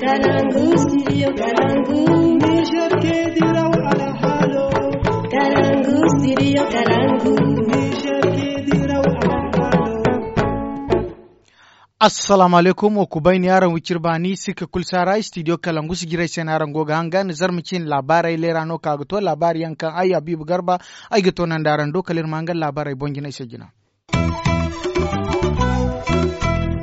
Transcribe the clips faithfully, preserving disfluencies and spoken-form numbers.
Kalangu, studio Kalangu. Niger ke diraw alhalo. Kalangu, studio Kalangu. Niger ke diraw alhalo. Assalamu alaikum, wa kubayni araŋ wicir baani, sika kul saara, studio Kalangu si jiray se no araŋ go ga hangan, zarma cin laabaarey leera no ka ga to, laabaari yaŋ kaŋ ay Habibu Garba, ay ga to nanda araŋ do, kala iri ma hangan laabaarey boŋ jinay se jina.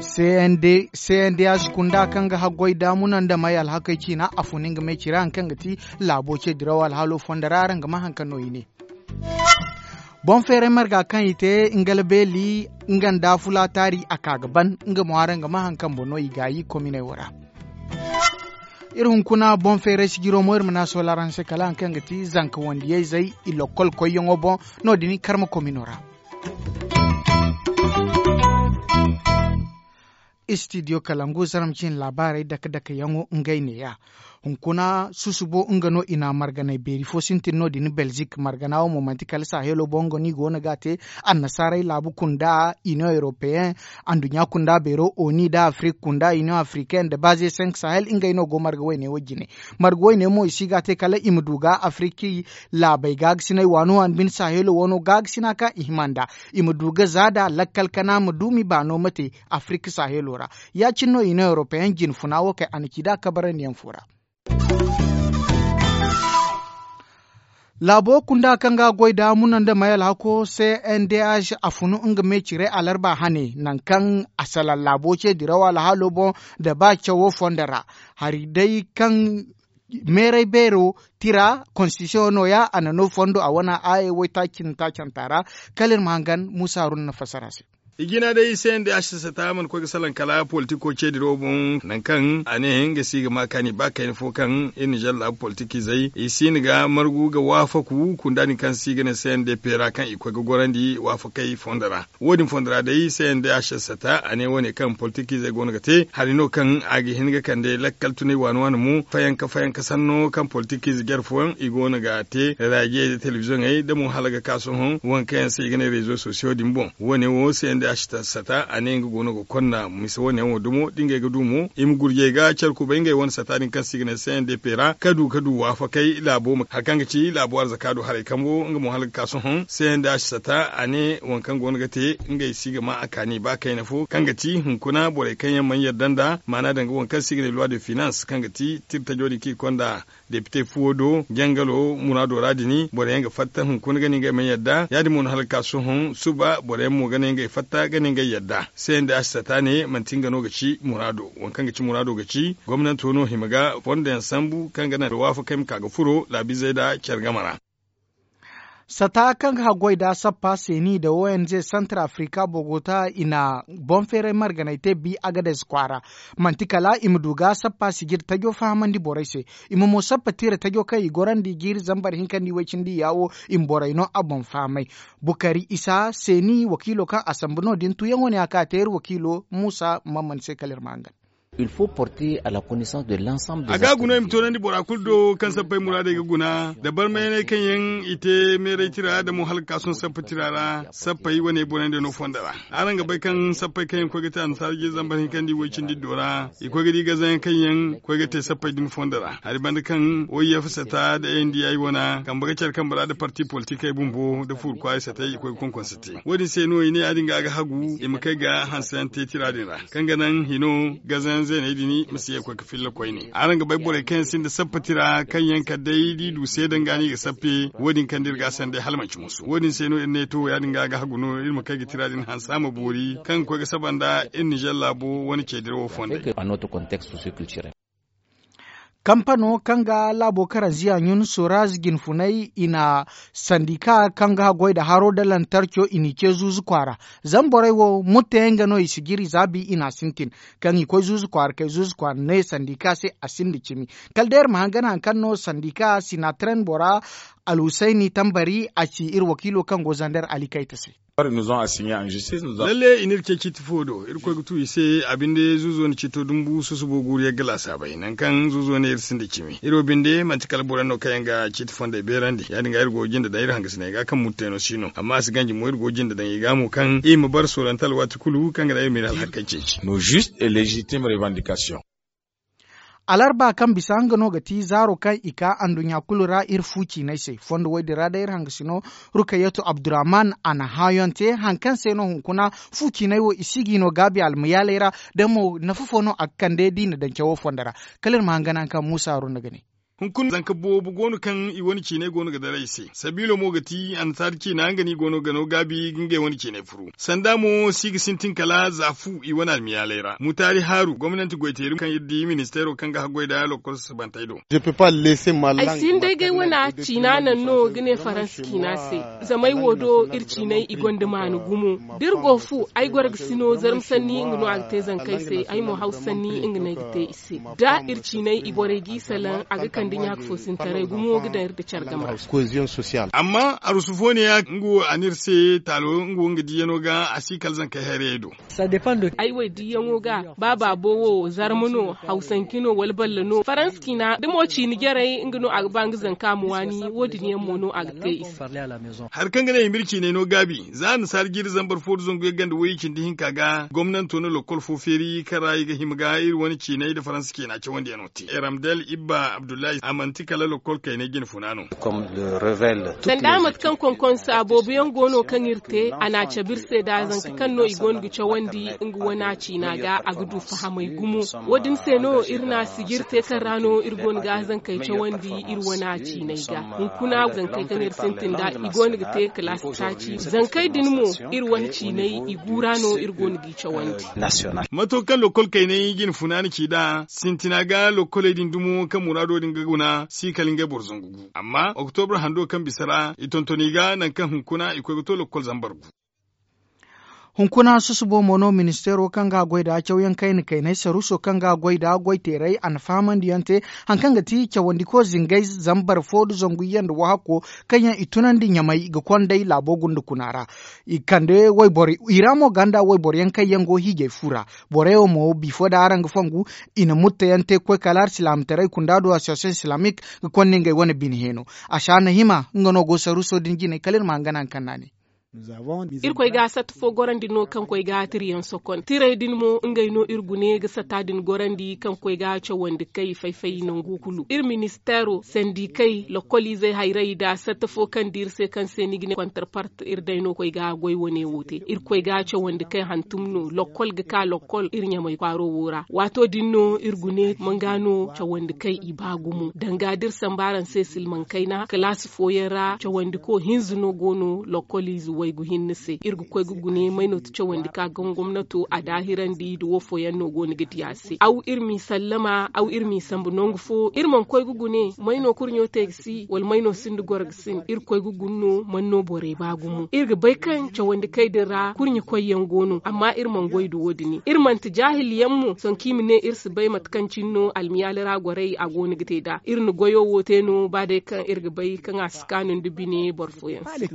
C N D, C N D H kunda kaŋ ga haggoy daamuna nda may alhakey ciina, a fun nga me cira haŋ kaŋ ga ti laabo ce diraw alhalo fonda ra, araŋ ga ma haŋ kaŋ no i ne. Boŋ feeray marga kaŋ i te ngala beeli, nga nda fulaataari a ka ga ban, nga mo araŋ ga ma haŋ kaŋ boŋ no i gaayi kominey wo ra. Iri hunkuna boŋ feeray sijiro mo, iri ma ne a soola araŋ se kala haŋ kaŋ ga ti zanka wandiyayzey, i lokkol koyyaŋo boŋ, no-din karma komino ra. Studio Kalangu, zarma cine laabaarey dake-dake yaŋo ngey neeya. Hunkuna susubo nga no i na marganey beeri fo sintin no-din Belzik. Margana wo mo manti kala Sahelo boŋ nga no i go no ga a te. Annasaarey laabu kunda, Union Européen, anduɲɲa kunda beero, ONU nda Afrik kunda, Union Africaine nda Base cinq Sahel, ngey no go marga wayne wo jine. Marga wayne mo i si ga a te kala i ma du ga Afrik laabey gaagasinay waano waani bine Sahelo wano gaagasina kaŋ i hima nd'a. I ma du ga za da lakkal kana ma du m'i baano ma te Afirka Sahelo ra. Ya-cine no Union Européen jine funa wo kay a na ci da kabarandiyaŋ fo ra. Laabo kunda kaŋ ga goy da muna nda may alhako C N D H a funu nga me cire alarba hane, nangu kaŋ a salaŋ laabo ce diraw alhaalo boŋ da ba cawo fondo ra. Hari day kaŋ meeray beero tira, constitution no-ya, a na no fondo a wane aaye waytaaci nda taacanta ra. Kala iri ma hangan Muusa Haruna na fassara se. I jina day C N D H sata mana koy ga salaŋ kala politiko ce diraw boŋ, nangu kaŋ a ne nga si ga ma kaani ba kayna fo kaŋ iri Nizer laabu politikizey i si hin ga margu ga waafaku kunda din kaŋ se i ga ne C N D P ra kaŋ i koy ga gorandi waafakey fondo ra. Wo-din fondo ra day C N D H sata a ne wo-ne kaŋ politikizey go no ga te hari no kaŋ a ga hin ga kande lakkal tunay waani-waani mo fayanka fayanka sanno kaŋ politikize jare fooyaŋ i go no ga te raajiyey nda telebiziyoŋey nda mo hala ga ka sohõ waŋ kaŋ yaŋ se i ga ne rezo sosiyo din boŋ. Wo-ne wo C N D H sata a ne nga go no ga konna misa wo-ne yaŋ wo dumo da ngey ga du mo i ma gurjey ga care kubay ngey wane sata din kaŋ se i ga ne C N D P ra ka du ka du waafakay laabo ma hari kaŋ ga ci laabo arzaka do haray kambo nga mo hala ga ka sohõ C N D H sata a ne waŋ kaŋ go no ga te ngey si ga ma a kaani ba kayna fo kaŋ ga ti hunkuna borey kaŋ yaŋ mana yadda nda maana danga waŋ kaŋ se i ga ne loi de finance kaŋ ga ti tira tajo din kaŋ i konda depite fuwo do jangalo muraado ra din borey yaŋ ga fatta hunkuna ga ne ngey mana yadda ya-din mo no hala ga ka sohõ suba borey yaŋ mo ga ne ngey fatta ga ne ngey yadda. C N D H sata ne manti nga no ga ci muraado waŋ kaŋ ga ci muraado ga ci gomnanto no hima ga fondo yaŋ sambu kaŋ ga naŋ waafakey ma ka ga furo laabizey nda care game ra. Sata kaŋ ga haggoy da sappa seeni nda O N G Centre Africa Bogota i na boŋ feeray marganay te bi Agadez kwaara. Manti kala i ma du ga sappa sijir tajo fahamandi borey se. I ma mo sappa tira tajo kaŋ i gorandi jiiri zambar hinkandi way cindi yaawo i ma borey no a boŋ fahamay. Bukari Isa seeni wakiilo kaŋ a sambu no-din tuyaŋo ne a ka te iri wakiilo Muusa Mamman se kala iri ma hangan. Il faut porter à la connaissance de l'ensemble des a ga guna i ma toonandi bora kulu do kaŋ sappey muraadey ga guna da barmayaney kaŋ yaŋ i te meeray tira da mo hala ga ka sohõ sappa tira ra. Sappey wane borey nda no fondo ra araŋ ga bay kaŋ sappey kaŋ yaŋ koy ga te annasaara jiiri zambar hinkandi way cindi do ra i koy ga di gazayaŋ kaŋ yaŋ koy ga te sappey din fondo ra hari banda kaŋ O I F sata da A N D I wana kambe ga care kambe ra da parti politikey bumbo da fuuru kwaaray satey i koy ga konkonse te wo-din se no i ne ya-din ga a ga hagu i ma kay ga hanseyaŋ te tira din ra kaŋ ga naŋ hino gazayaŋ zeeney din ma si ye ga koy ga filla koyne araŋ ga bay borey kaŋ yaŋ sinda sappa tira kaŋ yaŋ kala day da i du seeda nga no i ga sappe wo-din kaŋ da iri ga a sanday hala manci musu wo-din se no iri ne to ya-din ga a ga hagu no iri ma kay ga tira din hanse a ma boori kaŋ ga koy ga saba nda iri nizer laabo wane ce dirawo fondey. Kampano kaŋ ga laabo karanziya ɲun soraz jinfunay i na sandika kaŋ ga goy nda haro nda lantarco i n'i ce zuuzu kwaara. Zama borey wo mutteyaŋ ga no i si jiri za bi i n'a sintin kaŋ i koy zuuzu kwaara kay zuuzu kwaara ne sandika se a sinda cimi. Kala day iri ma hangan hari kaŋ no sandika sinatren bora alhusayni tambari a ci iri wakiilo kaŋ go zander ali kayta se. Lalle i n'iri ce ciiti fo do iri koy ga tu i se a binde zuuzo na ciito dumbu susubo guuru yagga laasaabey nangu kaŋ zuuzo ne iri sinda cimi iri wo binde manti kala boro yaŋ no kaŋ yaŋ ga ciiti fondey beerandi ya-din ga iri go ga jinde daŋ iri hangasiney ga kaŋ mutteeno si no amma a si ganji mo iri go ga jinde daŋ i ga mo kaŋ i ma bare soolante alwaati kulu kaŋ ga naŋ iri ma iri alhakey ceeci. Nos juste et légitime revendication. Alarba kaŋ bisa nga no ga ti zaaro kaŋ i ka anduɲɲa kulu ra iri fu ciinay se fondo wo- din ra day iri hangasino, rukayatu abdurrahman a na hãayoŋ te haŋ kaŋ se no hunkuna fu ciinay wo i si g'i no gaabi almayaaley ra. Da mo nafa fo no a ga kande d'i na daŋ cawo fondo ra. Kala iri ma haŋ gana haŋ kaŋ muusa haruna ga ne. Hunkuna zanka boobo go no kaŋ i wane ciinay go no ga daray i se. Sabiilo mo ga ti annasaari ciina nga no i go no ga no gaabi ga ngey wane ciinay furu. Sanda mo si ga sintin kala za fu i wane almiyaaley ra mutaari haaru gomnanti goyteeri kaŋ iri di ministeero kaŋ ga haggoy nda lokkol sasabantey do. Ay si hin day ga ay wane ciina naŋ no ga ne faransa ciina se. Zama ay wo do iri ciinay i gonda maana gumo. Da iri go fu ay goro ga si no zarma sanni nga no a ga te zankey se ay mo hawsa sanni nga no ay ga te i se. Da iri ciinay i borey g'i salaŋ a ga kande ɲaaka fo sintaray gumo ga daŋ iri nda care game ra. Amma arusu fo ne ya nga wo a n'iri se taalo nga wo nga diiyano ga a si kala zankey hayrayey do. Ay wo ay diiyaŋo ga ba baabo wo zarma no hawsanci no wala balla no faransa ciina da mo ciina jarey nga no a ga ba nga zanka ma waani wo- din yaŋ mo no a ga te i se. Hari kaŋ ga ne i ma iri ciinay no gaabi za annasaara jiiri zambar fo nda zangu yaŋ ganda way cindi hinka ga gomnanto na lokkol fo feeri kaŋ ra i ga hima ga iri wane ciinay nda faransa ciina cawandiyano te ramdel ibba abdullahi a manti kala lokkol kaynay jine funa no. Sanda mate kaŋ konkonsa boobo yaŋ go no kaŋ iri te a na a cabe iri se nda zanka kaŋ no i go no ga cawandi nga wane a ciina ga a ga du fahamay gumo. Wo- din se no iri na sijiri te kaŋ ra no iri go no ga zankey cawandi iri wane a ciinay ga. Hunkuna zankey kaŋ iri sintin nda i go no ga te kalaasi taaci zankey din mo iri wane ciinay i guura no iri go no g'i cawandi. Mato kaŋ lokkol kaynay jine funa na ci nd'a sintina ga lokkoley din dumo kaŋ muraado din ga guna si kala ngey boro zangu gu amma oktobra hando kaŋ bisa ra i tonton i ga nangu kaŋ hunkuna i koy ga to lokkol zambar gu. Hunkuna susubo mo no ministeero kaŋ ga a goy nda cawyaŋ kayna kaynay saruuso kaŋ ga a goy nda goyteeray a na fahamandi yaŋ te. Hari kaŋ ga ti cawandiko zingay zambar fo nda zangu iyye nda wahakko kaŋ yaŋ i tunandi ɲamay ga konday laabo gunda kuna ra. I kande wayboro i ra mo ganda wayboro yaŋ kaŋ yaŋ go hiijay fu ra. Borey wo mo bifo nda araŋ ga fongu i na mutta yaŋ te ga koy kala alsilaamataray kunda do association islamique ga konda ngey wane bine heeno. Asaana hima nga no go saruuso din jinay kala iri ma haŋ gana haŋ kaŋ no a ne. Iri koy ga satta fo gorandi no kaŋ koy ga tirayaŋ sokon tiray din mo ngey no iri gune ga satta din gorandi kaŋ koy ga cawandi kay fay-fay nangu kulu iri ministeero sandikey lokkoliizey hayray nda satta fo kaŋ di iri se kaŋ se ni ga ne kontarpart iri day no koy ga goy wane wo te iri koy ga cawandi kay hantum no lokkol ga ka lokkol iri ɲamay kwaaro wo ra waato din no iri gune manga no cawandi kay i ba gumo danga da iri sambu araŋ se silmaŋ kayna kalaasi fooyaŋ ra cawandiko hinza no go no lokkoliize waygu hinne se iri ga koy ga gune may no ti cawandi ka gaŋ gomnato a daahirandi nda wo fooyaŋ no go no ga di a se aw iri m'i sallama aw iri m'i sambu nangu fo iri mana koy ga gune may no kurɲo te ga si wala may no sinda goro ga sin iri koy ga gune no man no borey ba gumo iri ga bay kaŋ cawandi kay din ra kurɲe koyyaŋ go no amma iri mana goy nda wo- din iri manti jaahil yaŋ mo sohõ kaŋ i ma ne iri si bay mate kaŋ cine no almiyaali ra gorey a go no ga te nd'a iri na goyo wo te no ba day kaŋ iri ga bay kaŋ a si kaanu nda bine boro fooyaŋ se.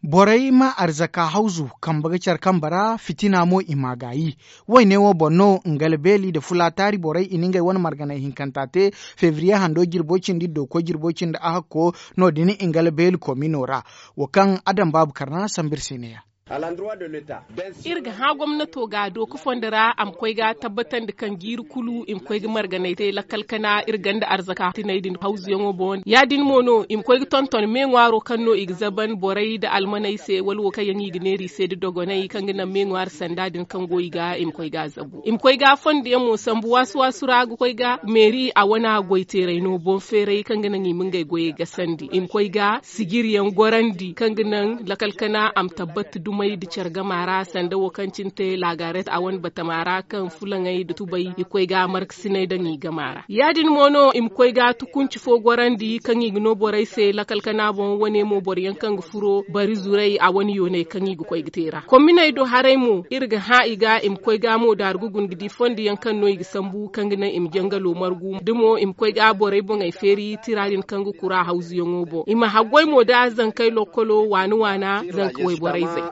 Borey ma arzaka hawzu kambe ga care kambe ra fitina mo i m'a gaayi. Wayne wo boŋ no ngala beeli nda fulaataari borey i na ngey wane marganay hinkanta te febriye hando jirbo cindi dooko jirbo cindi ahakko. No- din ngala beeli komino ra wo kaŋ adam baabu karna sambu iri se neeya. Iri ga hã gomnato ga dooka fondo ra a ma koy ga tabbatandi kaŋ jiiri kulu i ma koy ga marganay te lakkal kana iri ganda arzaka tinay din hawzuyaŋo boŋ ya- din mo no i ma koy ga tonton me ŋwaaro kaŋ no i ga zaban borey nda almaney se wala wo kaŋ yaŋ i ga neera i se nda dogoney kaŋ ga naŋ me ŋwaari sanda din kaŋ go i ga i ma koy ga a zabu i ma koy ga fondoyaŋ mo sambu waasu waasu ra ga koy ga meeri a wana goy teeray no boŋ feeray kaŋ ga naŋ i ma ngey goyey gasandi i ma koy ga sijiriyaŋ gorandi kaŋ ga naŋ lakal kana a ma tabbat dumey nda care gama ra sanda wo kaŋ cine te laagaret a wane batama ra kaŋ fulaŋey nda tubay i ga koy ga markasiney daŋ i gama ra ya- din mo no i ma koy ga tukunci fo gorandi kaŋ i ga no borey se lakal kana boŋ wane mo boro yaŋ kaŋ ga furo bari zuray a wane yooney kaŋ i ga koy ga te ra komminey do haray mo iri ga hã i ga i ma koy ga mo daaru ga guna ga di fondo yaŋ kaŋ no i ga sambu kaŋ ga naŋ i ma jangalo margu da mo i ma koy ga borey boŋey feeri tira din kaŋ ga kura hawzuyaŋo boŋ i ma haggoy mo da zankey lokkolo waana waana zanka wayborey zey.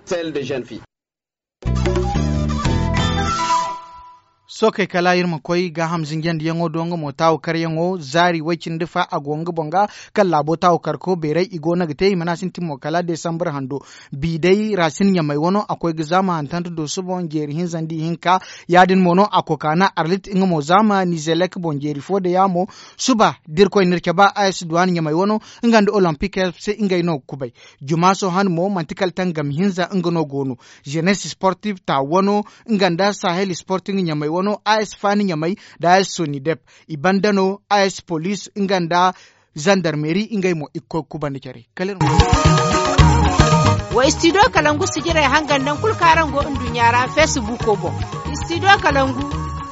Sookey kala iri ma koy gaaham zinjandiyaŋo do nga mo taawu karyaŋo zaari way-cindi fa a go nga boŋ ga. Kaŋ laabo taawu karko beeray i go no ga te i mana sintin mo kala desambar hando. Bi day raasin ɲamay wano a koy ga zaama hantanti dooso boŋ jeeri hinza nda ihinka. Ya- din mo no a kokaana arlit nga mo zaama nizelek boŋ jeeri fo day yaamo. Suba da irkoy na iri cabe a s duwaan ɲamay wano nga nda olimpik se ngey no ga kubay. Jumaaso han mo manti kala tangam hinza nga no go no. Jenes sportif ta wano nga nda sahel sporting ɲamey wano a s faani ɲamey nda a s sonidep. I banda no a s police nga nda zandarmeri ngey mo i ga koy ga kubanda care. Kala iri ma. Wa istidiyo kalangu sijirey hangan naŋ kulu kaŋ araŋ go nduɲɲa ra feesibuuko boŋ. Istidiyo kalangu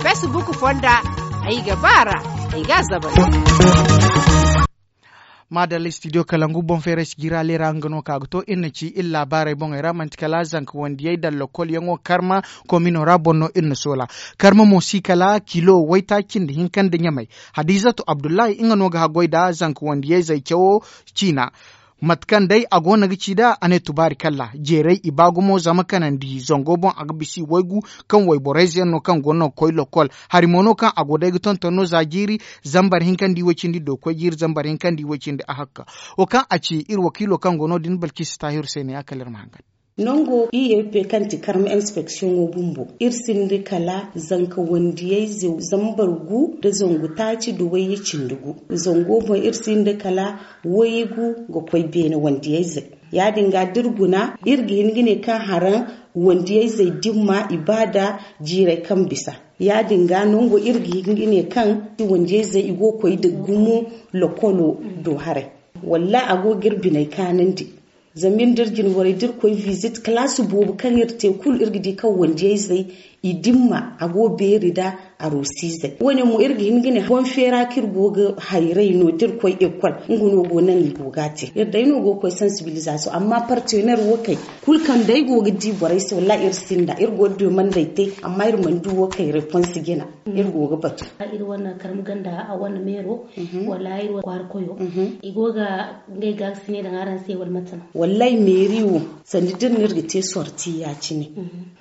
feesibuuko fonda. Ay ga ba a ra. Ay ga a zabal. Maadalla istidiyo kalangu boŋ feeray sijira leera nga no ka ga to iri na ci iri laabaarey boŋey ra manti kala zanka wandiyey daŋ lokol yaŋo karma. Komino ra boŋ no iri na soola. Karma mo si kala kilo waytaaci nda hinka nda ɲamey. Hadiizatu abdullahi nga no ga haggoy nda zanka wandiyey zay cawo ciina. Mate kaŋ day a go no ga ci nd'a a ne tubaari kalla jeeray i ba gumo zama kanandi zango boŋ a ga bisa i waygu. Kaŋ wayborayze yaŋ no kaŋ go no ga koy lokol hari mo no kaŋ a go day ga tonton no za jiiri. Zambar hinka nda i way cindi do ga koy jiiri zambar hinka nda i way cindi a hakka. Wo kaŋ a ci iri wakiilo kaŋ go no- din balkisi taahiru se ne ya kala iri ma hangan. Nango i ye pe kaŋ ti karma inspeksiyoŋo bumbo iri sinda kala zanka wandiyayze zambar gu nda zangu taaci nda wayye cindi gu. Zango boŋ iri sinda kala waygu ga koy beene wandiyayze. Ya- din ga da iri guna iri ga hin ga ne kaŋ haraŋ wandiyayzey dimma i ba nda jiiray kaŋ bisa. Ya- din ga nango iri ga hin ga ne kaŋ wandiyayzey i go ga koy nda gumo lokolo do haray. Wallaahi a go ga iri biney kaanandi. Zama iri nda iri jine borey da iri koy visit kalaasi boobo kaŋ iri te kulu iri ga di kaŋ wandiyayzey i dimma a go beeri nda aroosiizey wo- ne mo iri ga hin ga ne boŋ feera kaŋ iri go ga hayray no da iri koy ekol. Nga no go naŋ i go ga a te iri day no go ga koy sansibilizasiyoŋ amma partener wo kay kulu kaŋ day go ga di borey se wallaahi iri sinda iri go ga demandey te. Amma iri mana du wo kay repons jina iri go ga batu. Iri wane karma ganda a wane meero wala iri wane kwaara koyo i go ga ngey ga ga sine daŋ araŋ se wala mate no? Wallaahi meeri wo sanda da iri no iri ga te sorti ya- cine.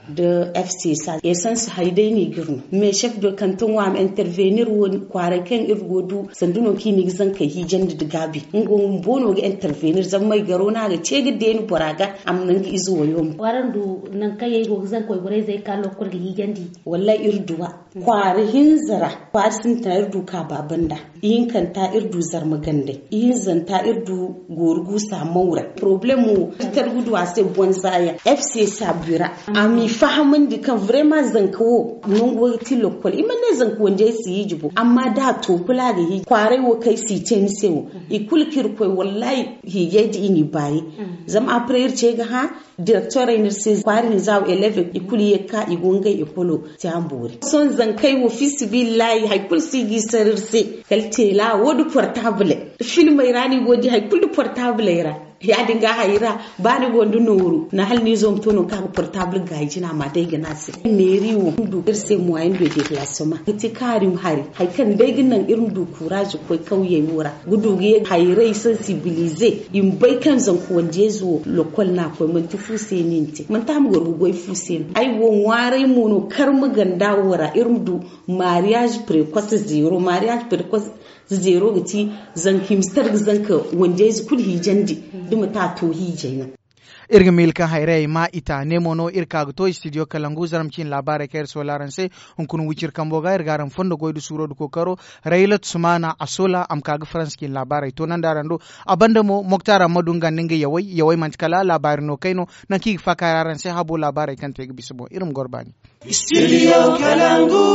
Da fcsa esans hari day no i ga iri no mais chef de kanton wo a ma intervenir wo kwaaray kaŋ iri go ga du sanda no kaŋ i na i ga zankey hiijandi nda gaabi nga wo bumbo no ga intervenir zama may garo no a ga ce ga deeni bora ga a ma naŋ ga ize wayo mo. Waraŋ du nangu kaŋ yaŋ i go ga zanka wayborayzey ga ka lokol ga hiijandi? Wallaahi iri du a kwaara hinza ra kwaara sintina iri du kaaba banda. Ihinkanta iri du zarma gandey ihinzanta iri du goori guusa mawra. Poroblemo ti targu du a se bonza yaŋ fcsa bira a m'i fahamandi kaŋ vrema zanka wo nangu wo ga ti lokkol i mana ne zanka wandiyay si hiiji bo amma da a to kulu a ga hiiji kwaaray wo kaŋ ay si te ni se wo. I kulu kaŋ iri koy wallahi hiijay da i n'i baayi. Zama apre iri ce ga hã direktorey no iri se kwaara hinza wo eleve i kulu ye ga ka i go ngey ekolo. Te a ma boori sohõ zankey wo fiisabilillahi hari kulu si ga i sara iri se. Kala teela wo nda portabley filmey ra no i go ga di hari kulu nda portabley ra. Ya- din ga hari ra ba ni go nda nooru na hala ni zo ma to nangu kaŋ a ga portable gaayi jina ma day ga ne a se meeri wo iri se moyen de déplacement ga te kaari ma hari hari kaŋ day ga naŋ iri ma du courage ga koy kawyey wo ra ga du ga ye hayray sensibiliser i ma bay kaŋ zanka wandiyayze wo lokol no a koy manti fu se no i na te manti a ma goro ga goy fu se no ay wo ŋwaaray mo no karma ganda wo ra iri ma du mariage precoce zero mariage precoce zero ga ti zanka i ma si tara ga zanka wandiyayze kulu hiijandi da manti a to hiijay no. Iri ga miila kaŋ hayrayey ma i ta ne mo no iri ka ga to istidiyo kalangu zarma ciine laabaarey kaŋ iri soola araŋ se. Hunkuna wiciri kambo ga iri ga araŋ fondo goy nda suuro nda kookaro raylat sumaana a soola a ma ka ga faransa ciine laabaarey toonandi araŋ do. A banda mo moktar ammadu nga nda nga yawey yawey manti kala laabaari no kay no nangu kaŋ i ga faaka ra araŋ se habo laabaarey kaŋ te ga bisa boŋ iri ma goro baani. Studio kalangu.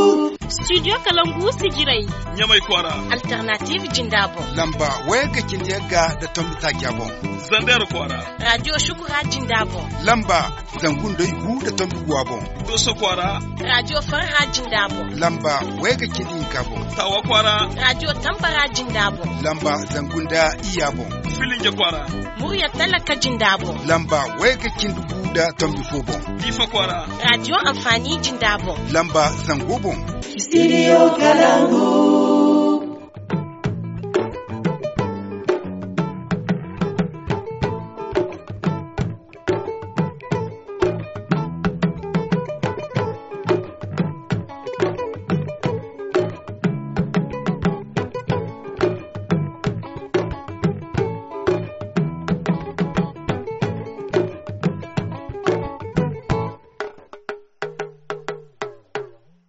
Studio kalangu sijirey ɲamay kwaara. Alternative jinda boŋ lamba wayga cindi yagga nda tombi taaca boŋ. Zander kwaara. Radio shukura jinda boŋ lamba zangu nda igu nda tombi guwa boŋ. Doso kwaara. Radio farha jinda boŋ lamba wayga cindi hinka boŋ. Tawa kwaara. Radio tambara jinda boŋ lamba zangu nda iya boŋ. Filinge kwaara. Murya talaka jinda boŋ lamba wayga cindi gu nda tombi fo boŋ. Diifa kwaara. Radio amfani jinda boŋ lamba zango boŋ. Studio kalangu.